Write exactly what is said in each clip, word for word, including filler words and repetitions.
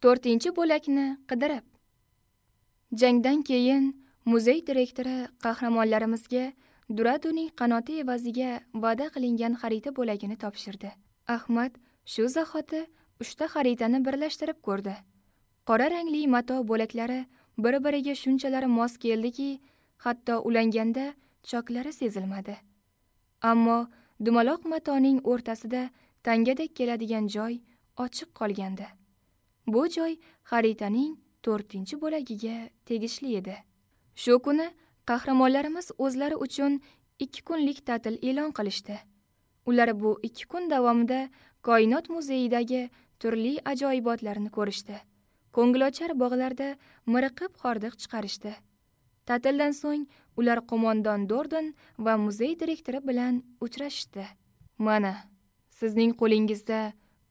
To'rtinchi bo'lakni qidirib. Jangdan keyin muzey direktori qahramonlarimizga Duraduning qanoti evaziga va'da qilingan xarita bo'lagini topshirdi. Ahmad shu zahoti uchta xaritani birlashtirib ko'rdi. Qora rangli mato bo'laklari bir-biriga shunchalar mos keldiki, hatto ulanganda choklari sezilmadi. Ammo dumaloq matoning o'rtasida tangadek keladigan joy ochiq qolgandi. Bu joy xaritaning to'rtinchi bo'lagiga tegishli edi. Shu kuni qahramonlarimiz o'zlari uchun ikki kunlik ta'til e'lon qilishdi. Ular bu ikki kun davomida Koinot muzeyidagi turli ajoyibotlarni ko'rishdi. Ko'ngilochar bog'larda miriqib hordiq chiqarishdi. Ta'tildan so'ng ular qo'mondon Dordon va muzey direktori bilan uchrashishdi. Mana, sizning qo'lingizda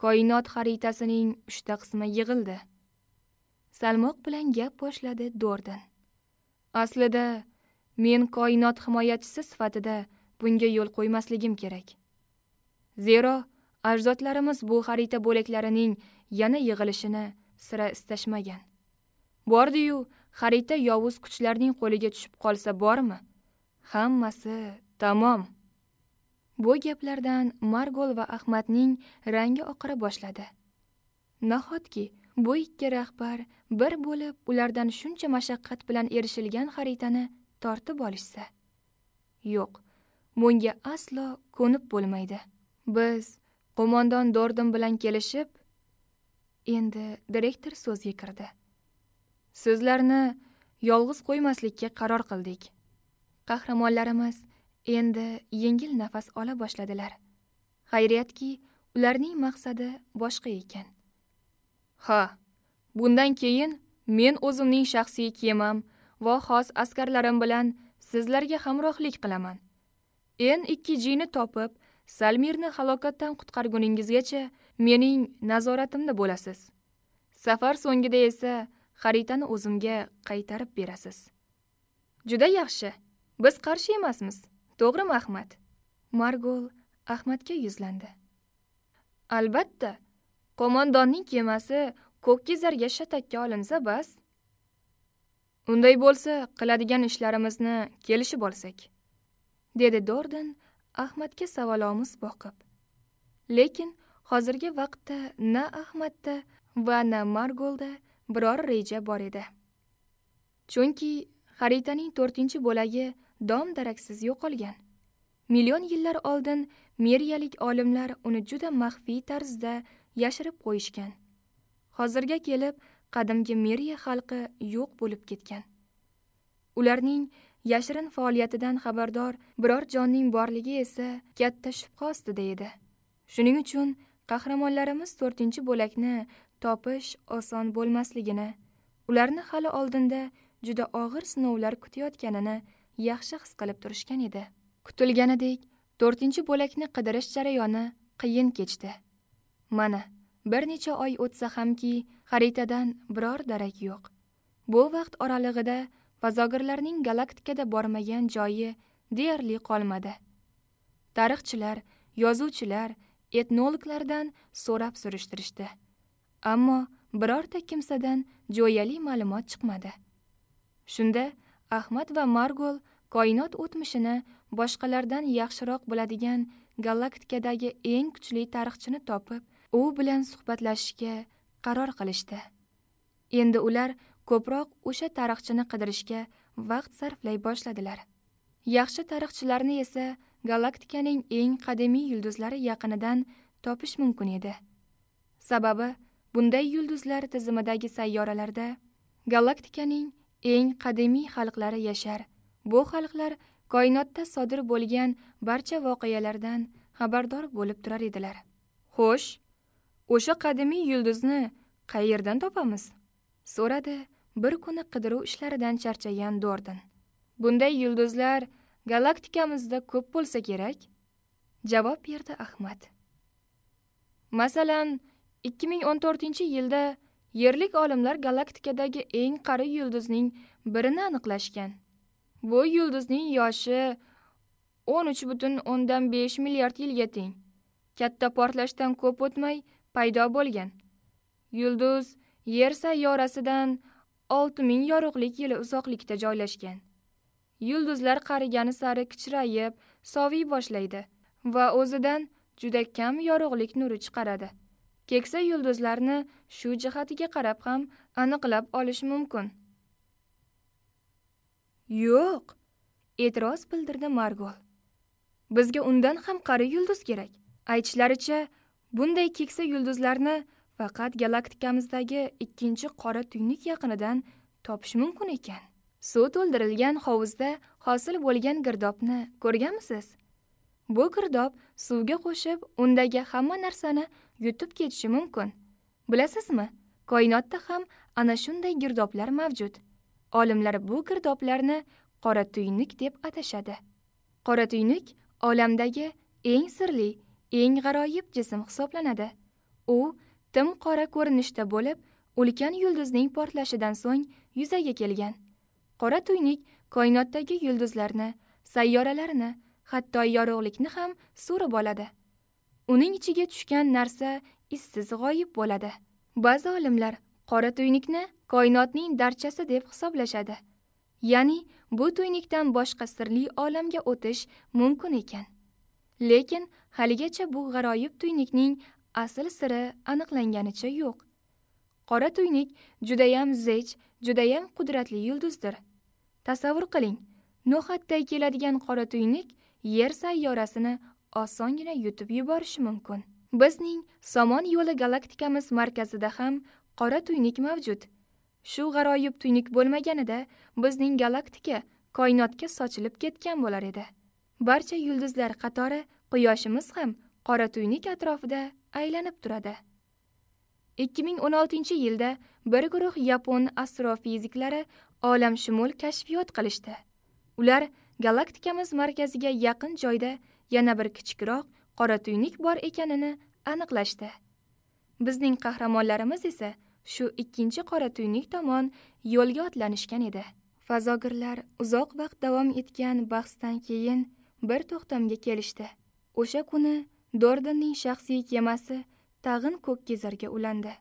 koinot xaritasining uchta qismi yig'ildi. Salmoq bilan gap boshladi Dordon. Aslida men koinot himoyachisi sifatida bunga yo'l qo'ymasligim kerak. Zero ajdodlarimiz bu xarita bo'laklarining yana yig'ilishini sira istashmagan. Bordi-yu, xarita yovuz kuchlarning qo'liga tushib qolsa bormi? Hammasi tamom. Bu gaplardan Margol va Ahmadning rangi oqara boshladi. Nahotki bu ikki rahbar bir bo'lib ulardan shuncha mashaqqat bilan erishilgan xaritani tortib olishsa? Yo'q, bunga aslo ko'nib bo'lmaydi. Biz qo'mondon Dordon bilan kelishib, endi direktor so'zga kirdi. Sizlarni yolg'iz qo'ymaslikka qaror qildik. Qahramonlarimiz endi yengil nafas ola boshladilar. Xayriyatki, ularning maqsadi boshqa ekan. Ha, bundan keyin men o'zimning shaxsiy kemam va xos askarlarim bilan sizlarga hamrohlik qilaman. N ikki G ni topib, Salmirni halokatdan qutqarguningizgacha mening nazoratimda bo'lasiz. Safar so'ngida esa xaritani o'zimga qaytarib berasiz. Juda yaxshi. Biz qarshi emasmiz. To'g'rimi, Ahmad? Margol Ahmadga yuzlandi. Albatta, qo'mondonning kemasi ko'kkizarga shatakka olinsa bas. Unday bo'lsa, qiladigan ishlarimizni kelishib olsak, dedi Dordon Ahmadga savolomuz boqib. Lekin hozirgi vaqtda na Ahmadda va na Margolda biror reja bor edi. Chunki xaritaning to'rtinchi bo'lagi dom daraksiz yo'qolgan. Million yillar oldin meriyalik olimlar uni juda maxfiy tarzda yashirib qo'yishgan. Hozirga kelib qadimgi Meriya xalqi yo'q bo'lib ketgan. Ularning yashirin faoliyatidan xabardor biror jonning borligi esa katta shubha ostida edi. Shuning uchun qahramonlarimiz to'rtinchi bo'lakni topish oson bo'lmasligini, ularni hali oldinda juda og'ir sinovlar kutayotganini yaxshi his qilib turishgan edi. Kutilganidek, to'rtinchi bo'lakni qidirish jarayoni qiyin kechdi. Mana, bir necha oy o'tsa hamki, xaritadan biror darak yo'q. Bu vaqt oralig'ida fazogirlarning galaktikada bormagan joyi deyarli qolmadi. Tarixchilar, yozuvchilar, etnologlardan so'rab surishtirishdi. Ammo birorta kimsadan jo'yali ma'lumot chiqmadi. Shunda Ahmad va Margol koinot o'tmishini boshqalardan yaxshiroq biladigan galaktikadagi eng kuchli tarixchini topib, u bilan suhbatlashishga qaror qilishdi. Endi ular ko'proq o'sha tarixchini qidirishga vaqt sarflay boshladilar. Yaxshi tarixchilarni esa galaktikaning eng qadimiy yulduzlari yaqinidan topish mumkin edi. Sababi bunday yulduzlar tizimidagi sayyoralarda galaktikaning eng qadimiy xalqlari yashar. Bu xalqlar koinotda sodir bo'lgan barcha voqealardan xabardor bo'lib turar edilar. Xo'sh, o'sha qadimiy yulduzni qayerdan topamiz? So'radi bir kuni qidiruv ishlaridan charchagan Dordon. Bunday yulduzlar galaktikamizda ko'p bo'lsa kerak, javob berdi Ahmad. Masalan, ikki ming o'n to'rtinchi yilda yerlik olimlar galaktikadagi eng qari yulduzning birini aniqlashgan. Bu yulduzning yoshi o'n uch butun o'ndan besh milliard yilga teng. Katta portlashdan ko'p o'tmay paydo bo'lgan. Yulduz Yer sayyorasidan olti ming yorug'lik yili uzoqlikda joylashgan. Yulduzlar qarigani sari kichrayib, soviy boshlaydi va o'zidan juda kam yorug'lik nuri chiqaradi. Keksa yulduzlarni shu jihatiga qarab ham aniqlab olish mumkin. Yo'q, e'tiroz bildirdi Margol. Bizga undan ham qari yulduz kerak. Aytishlaricha, bunday keksa yulduzlarni faqat galaktikamizdagi ikkinchi qora tuynuk yaqinidan topish mumkin ekan. Suv to'ldirilgan hovuzda hosil bo'lgan girdobni ko'rganmisiz? Bu girdob suvga qo'shib, undagi hamma narsani yutib ketishi mumkin. Bilasizmi, koinotda ham ana shunday girdoblar mavjud. Olimlar bu girdoblarni qora tuynuk deb atashadi. Qora tuynuk olamdagi eng sirli, eng g'aroyib jism hisoblanadi. U tim qora ko'rinishda bo'lib, ulkan yulduzning portlashidan so'ng yuzaga kelgan. Qora tuynuk koinotdagi yulduzlarni, sayyoralarni, hatto yorug'likni ham so'rib oladi. Uning ichiga tushgan narsa izsiz g'oyib bo'ladi. Ba'zi olimlar qora tuynukni koinotning darchasi deb hisoblashadi. Ya'ni bu tuynukdan boshqa sirli olamga o'tish mumkin ekan. Lekin haligacha bu g'aroyib tuynukning asl siri aniqlanganicha yo'q. Qora tuynuk judayam zech, judayam qudratli yulduzdir. Tasavvur qiling, no'xatday keladigan qora tuynuk Yer sayyorasini osongina yutib yuborishi mumkin. Bizning Somon yo'li galaktikamiz markazida ham qora tuynuk mavjud. Shu g'aroyib tuynuk bo'lmaganida bizning galaktika koinotga sochilib ketgan bo'lar edi. Barcha yulduzlar qatori Quyoshimiz ham qora tuynuk atrofida aylanib turadi. ikki ming o'n oltinchi yilda bir guruh yapon astrofiziklari olamshumul kashfiyot qilishdi. Ular galaktikamiz markaziga yaqin joyda yana bir kichikroq qora tuynuk bor ekanini aniqlashdi. Bizning qahramonlarimiz esa shu ikkinchi qora tuynuk tomon yo'lga otlanishgan edi. Fazogirlar uzoq vaqt davom etgan bahsdan keyin bir to'xtamga kelishdi. O'sha kuni Dordonning shaxsiy kemasi tag'in ko'kkizarga ulandi.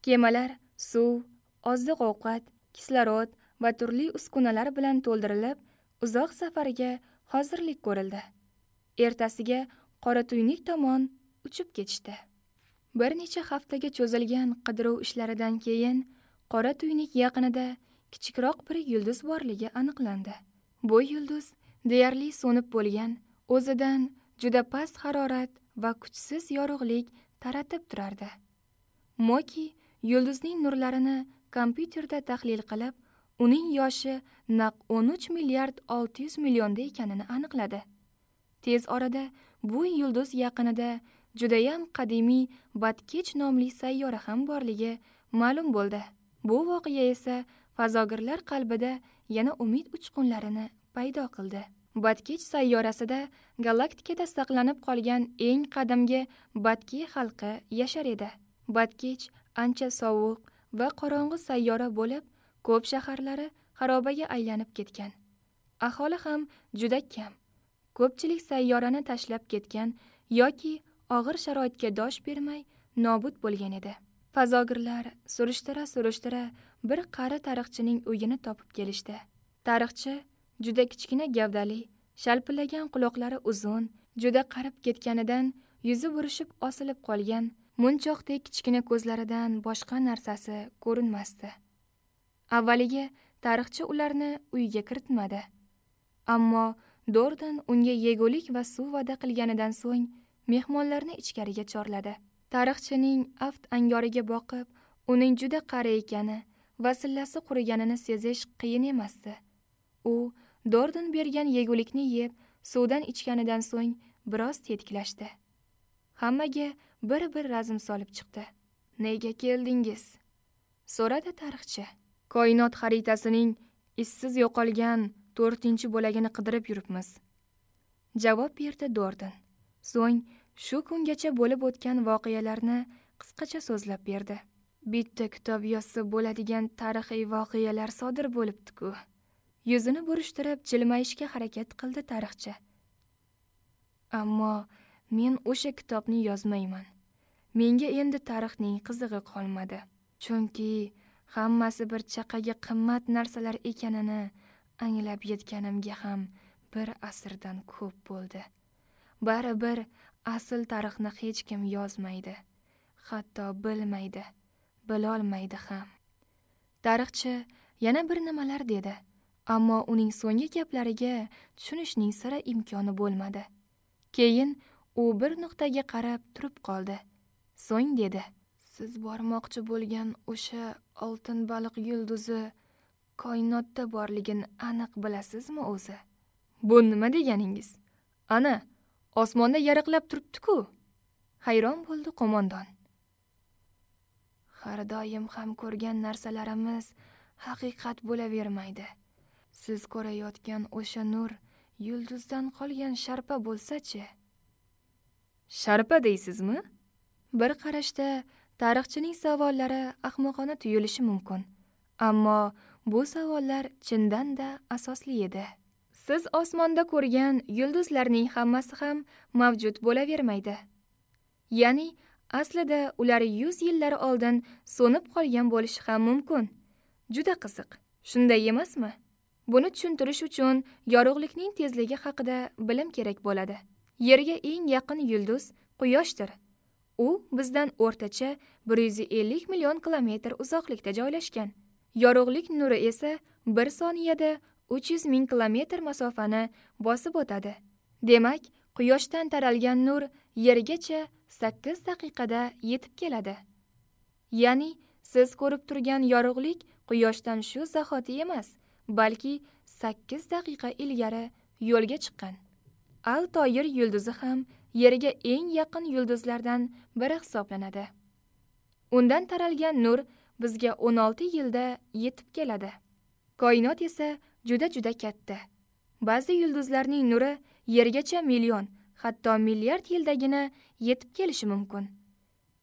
Kemalar suv, oziq-ovqat, kislorod va turli uskunalar bilan to'ldirilib, uzoq safarga hozirlik ko'rildi. Ertasiga qora tuynuk tomon uchib ketishdi. Bir necha haftaga cho'zilgan qidiruv ishlaridan keyin qora tuynuk yaqinida kichikroq bir yulduz borligi aniqlandi. Bu yulduz deyarli so'nib bo'lgan, o'zidan juda past harorat va kuchsiz yorug'lik taratib turardi. Moki yulduzning nurlarini kompyuterda tahlil qilib, uning yoshi naq o'n uch milliard olti yuz millionda ekanini aniqladi. Tez orada bu yulduz yaqinida judayam qadimiy Batkech nomli sayyora ham borligi ma'lum bo'ldi. Bu voqea esa fazogirlar qalbida yana umid uchqunlarini paydo qildi. Batkech sayyorasida galaktikada saqlanib qolgan eng qadimgi Batki xalqi yashar edi. Batkech ancha sovuq va qorong'u sayyora bo'lib, ko'p shaharlari xarobaga aylanib ketgan. Aholi ham juda kam. Ko'pchilik sayyorani tashlab ketgan yoki og'ir sharoitga dosh bermay nobud bo'lgan edi. Fazogirlar surishtira-surishtira bir qari tarixchining uyini topib kelishdi. Tarixchi juda kichkina gavdali, shalpillagan quloqlari uzun, juda qarib ketganidan yuzi burishib osilib qolgan, munchoqdek kichkina ko'zlaridan boshqa narsasi ko'rinmasdi. Avvaliga tarixchi ularni uyga kiritmadi. Ammo Dordon unga yegulik va suv va'da qilganidan so'ng mehmonlarni ichkariga chorladi. Tarixchining aft angoriga boqib, uning juda qari ekani va sillasi quriganini sezish qiyin emasdi. U Dordon bergan yegulikni yeb, suvdan ichganidan so'ng biroz tetiklashdi. Hammaga bir-bir razm solib chiqdi. "Nega keldingiz?" so'radi tarixchi. "Koinot xaritasining izsiz yo'qolgan to'rtinchi bo'lagini qidirib yuribmiz", javob berdi Dordon. So'ng shu kungacha bo'lib o'tgan voqealarni qisqacha so'zlab berdi. Bitta kitob yozsa bo'ladigan tarixiy voqealar sodir bo'libdi-ku. Yuzini burishtirib jilmayishga harakat qildi tarixchi. Ammo men o'sha kitobni yozmayman. Menga endi tarixning qizig'i qolmadi. Chunki hammasi bir chaqaga qimmat narsalar ekanini anglab yetganimga ham bir asrdan ko'p bo'ldi. Baribir asl tarixni hech kim yozmaydi, hatto bilmaydi, bilolmaydi ham. Tarixchi yana bir nimalar dedi, ammo uning so'nggi gaplariga tushunishning sira imkoni bo'lmadi. Keyin u bir nuqtaga qarab turib qoldi. So'ng dedi: "Siz bormoqchi bo'lgan o'sha oltin baliq yulduzi koinotda borligini aniq bilasizmi o'zi?" "Bu nima deganingiz? Ana, osmonda yaraqlab turibdi-ku." Hayron bo'ldi qo'mondon. "Har doim ham ko'rgan narsalarimiz haqiqat bo'lavermaydi. Siz ko'rayotgan o'sha nur yulduzdan qolgan sharpa bo'lsa-chi?" "Sharpa deysizmi?" Bir qarashda tarixchining savollari ahmoqona tuyulishi mumkin, ammo bu savollar chindan-da asosli edi. Siz osmonda ko'rgan yulduzlarning hammasi ham mavjud bo'lavermaydi. Ya'ni aslida ular yuz yillar oldin so'nib qolgan bo'lishi ham mumkin. Juda qiziq, shunday emasmi? Buni tushuntirish uchun yorug'likning tezligi haqida bilim kerak bo'ladi. Yerga eng yaqin yulduz Quyoshdir. U bizdan o'rtacha bir yuz ellik million kilometr uzoqlikda joylashgan. Yorug'lik nuri esa bir soniyada uch yuz ming kilometr masofani bosib o'tadi. Demak, Quyoshdan taralgan nur Yergacha sakkiz daqiqada yetib keladi. Ya'ni siz ko'rib turgan yorug'lik Quyoshdan shu zahoti emas, balki sakkiz daqiqa ilgari yo'lga chiqqan. Al-Toyir yulduzi ham Yerga eng yaqin yulduzlardan biri hisoblanadi. Undan taralgan nur bizga o'n olti yilda yetib keladi. Koinot esa juda-juda katta. Ba'zi yulduzlarning nuri Yergacha million, hatto milliard yildagina yetib kelishi mumkin.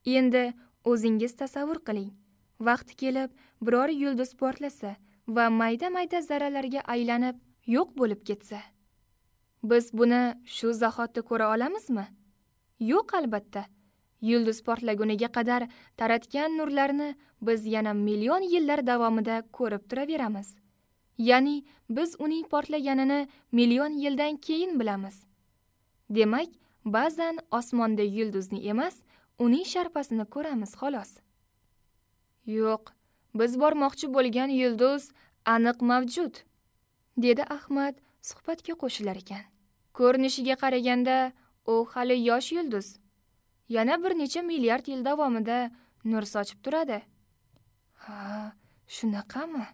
Endi o'zingiz tasavvur qiling. Vaqti kelib biror yulduz portlasa va mayda-mayda zarralarga aylanib yo'q bo'lib ketsa, biz buni shu zahotda ko'ra olamizmi? Yo'q, albatta. Yulduz portlaguniga qadar taratgan nurlarni biz yana million yillar davomida ko'rib turaveramiz. Ya'ni biz uning portlaganini million yildan keyin bilamiz. Demak, ba'zan osmonda yulduzni emas, uning sharpasini ko'ramiz xolos. Yo'q, biz bormoqchi bo'lgan yulduz aniq mavjud, dedi Ahmad suhbatga qo'shilar ekan. Ko'rinishiga qaraganda u hali yosh yulduz. Yana bir necha milliard yil davomida nur sochib turadi. Ha, shunaqami?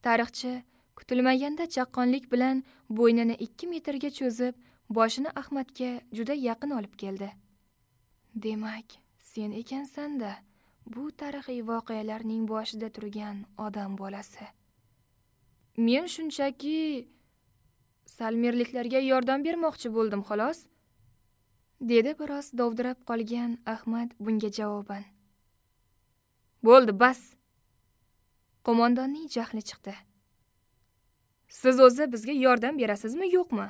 Tarixchi kutilmaganda chaqqonlik bilan bo'ynini ikki metrga cho'zib, boshini Ahmadga juda yaqin olib keldi. Demak, sen ekansan-da bu tarixiy voqealarning boshida turgan odam bolasi. Men shunchaki salmerliklarga yordam bermoqchi bo'ldim, xolos, dedi biroz dovdirab qolgan Ahmad bunga javoban. Bo'ldi, bas. Qo'mondonning jahli chiqdi. Siz o'zi bizga yordam berasizmi, yo'qmi?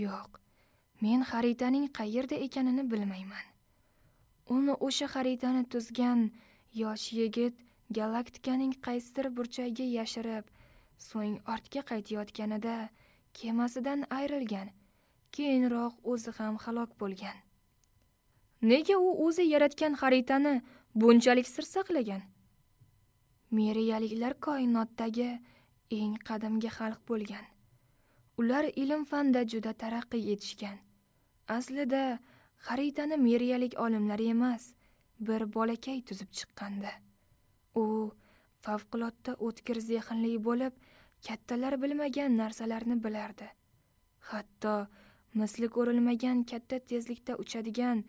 Yo'q. Men xaritaning qayerda ekanini bilmayman. Uni o'sha xaritani tuzgan yosh yigit galaktikaning qaysidir burchagiga yashirib, so'ng ortga qaytayotganida kemasidan ayrilgan, keyinroq o'zi ham halok bo'lgan. Nega u o'zi yaratgan xaritani bunchalik sir saqlagan? Meriyaliklar koinotdagi eng qadimgi xalq bo'lgan. Ular ilm-fanda juda taraqqiy etishgan. Aslida xaritani meriyalik olimlar emas, bir bolakay tuzib chiqqandi. U favqulodda o'tkir zehnli bo'lib, kattalar bilmagan narsalarni bilardi. Hatto misli ko'rilmagan katta tezlikda uchadigan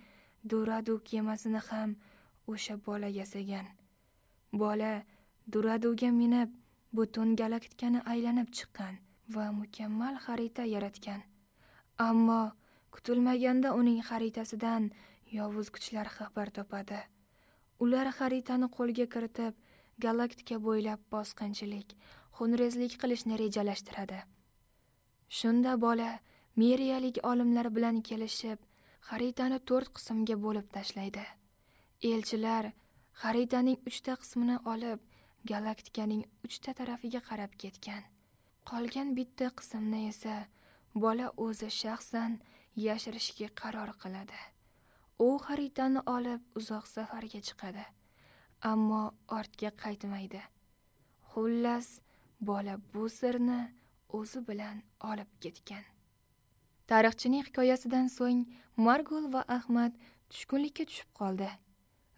Duradu kemasini ham o'sha bola yasagan. Bola Duraduga minib, butun galaktikani aylanib chiqqan va mukammal xarita yaratgan. Ammo kutilmaganda uning xaritasidan yovuz kuchlar xabar topadi. Ular xaritani qo'lga kiritib, galaktika bo'ylab bosqinchilik, xunrezlik qilishni rejalashtiradi. Shunda bola meriyalik olimlar bilan kelishib, xaritani to'rt qismga bo'lib tashlaydi. Elchilar Xaritaning uchta qismini olib, galaktikaning uchta tarafiga qarab ketgan. Qolgan bitta qismni esa bola o'zi shaxsan yashirishga qaror qiladi. U xaritani olib uzoq safarga chiqadi, ammo ortga qaytmaydi. Xullas, bola bu sirni o'zi bilan olib ketgan. Tarixchining hikoyasidan so'ng Margul va Ahmad tushkunlikka tushib qoldi.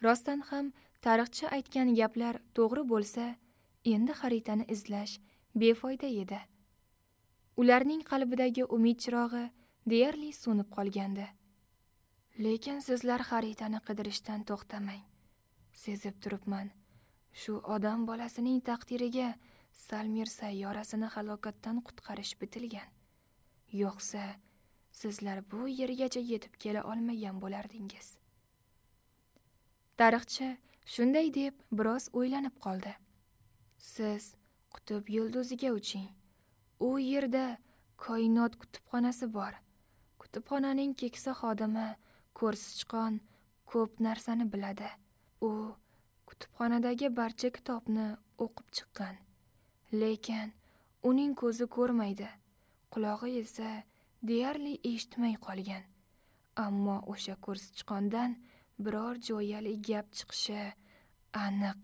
Rostdan ham tarixchi aytgan gaplar to'g'ri bo'lsa, endi xaritani izlash befoyda edi. Ularning qalbidagi umid chirog'i deyarli so'nib qolgandi. Lekin sizlar xaritani qidirishdan to'xtamang. Sezib turibman, shu odam bolasining taqdiriga Salmir sayyorasini halokatdan qutqarish bitilgan. Yo'qsa, sizlar bu yergacha yetib kela olmagan bo'lardingiz. Tarixchi shunday deb biroz o'ylanib qoldi. Siz qutb yulduziga uching. U yerda koinot kutubxonasi bor. Kutubxonaning keksa xodimi ko'rsichqon ko'p narsani biladi. U kutubxonadagi barcha kitobni o'qib chiqqan. Lekin uning ko'zi ko'rmaydi, qulog'i esa deyarli eshitmay qolgan. Ammo o'sha ko'rsichqondan biror jo'yali gap chiqishi aniq.